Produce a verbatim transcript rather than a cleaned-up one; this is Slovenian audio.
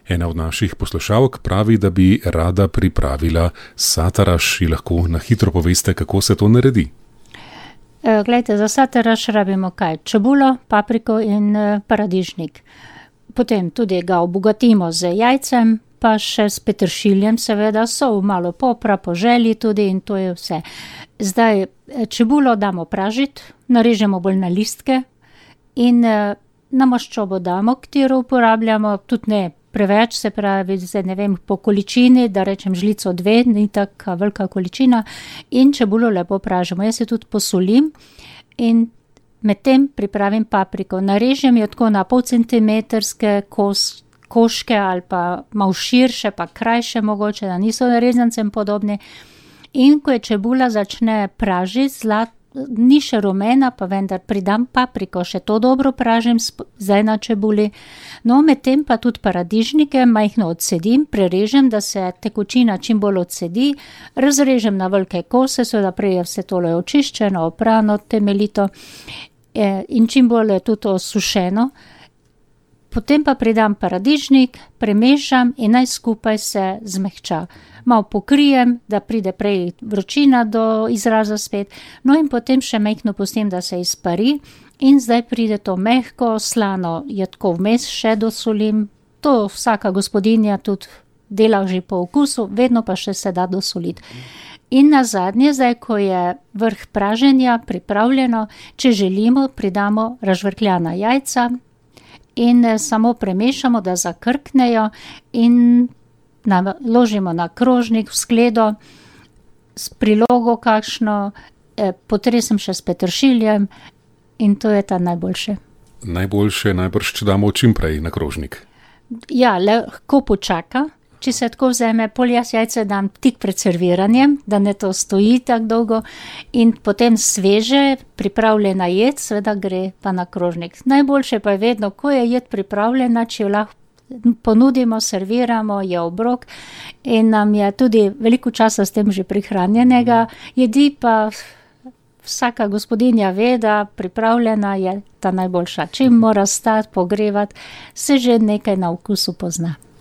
Ena od naših poslušalk pravi, da bi rada pripravila sataraš. Ji lahko na hitro poveste, kako se to naredi? E, glejte, za sataraš rabimo kaj? Čebulo, papriko in e, paradižnik. Potem tudi ga obogatimo z jajcem, pa še s peteršiljem, seveda, sol, malo popra, po želji tudi in to je vse. Zdaj čebulo damo pražiti, narežemo bolj na listke in e, na maščobo damo, katero uporabljamo, tudi ne preveč, se pravi, zdaj ne vem, po količini, da rečem žlico dve, ni taka velika količina, in čebulo lepo pražimo. Jaz se tudi posolim in medtem pripravim papriko. Narežem jo tako na pol centimetrske kos, koške ali pa malo širše, pa krajše mogoče, da niso rezancem podobni. In ko je čebula začne pražiti, zlat, ni še rumena, pa vendar pridam papriko, še to dobro pražim zdaj na čebuli. No, medtem pa tudi paradižnike majhno odsedim, prerežem, da se tekočina čim bolj odsedi, razrežem na velike kose, seveda prej je vse tole očiščeno, oprano, temeljito in čim bolj je tudi osušeno. Potem pa pridam paradižnik, premešam in naj skupaj se zmehča. Malo pokrijem, da pride prej vročina do izraza spet, no in potem še majhno pustim, da se izpari in zdaj pride to mehko, slano, je tako vmes še dosolim. To vsaka gospodinja tudi dela že po okusu, vedno pa še se da dosoliti. In nazadnje, zdaj, ko je vrh praženja pripravljeno, če želimo, pridamo razžvrkljana jajca in samo premešamo, da zakrknejo in naložimo na krožnik v skledo s prilogo kakšno, eh, potresem še s peteršiljem in to je ta najboljše. Najboljše najbrž, če damo čim prej na krožnik. Ja, lahko počaka. Če se tako vzame, pol jaz jajce dam tik pred serviranjem, da ne to stoji tako dolgo in potem sveže, pripravljena jed, seveda gre pa na krožnik. Najboljše pa je vedno, ko je jed pripravljena, če jo lahko ponudimo, serviramo, je obrok in nam je tudi veliko časa s tem že prihranjenega. Jedi pa vsaka gospodinja ve, da pripravljena je ta najboljša. Čim mora stati, pogrevati, se že nekaj na okusu pozna.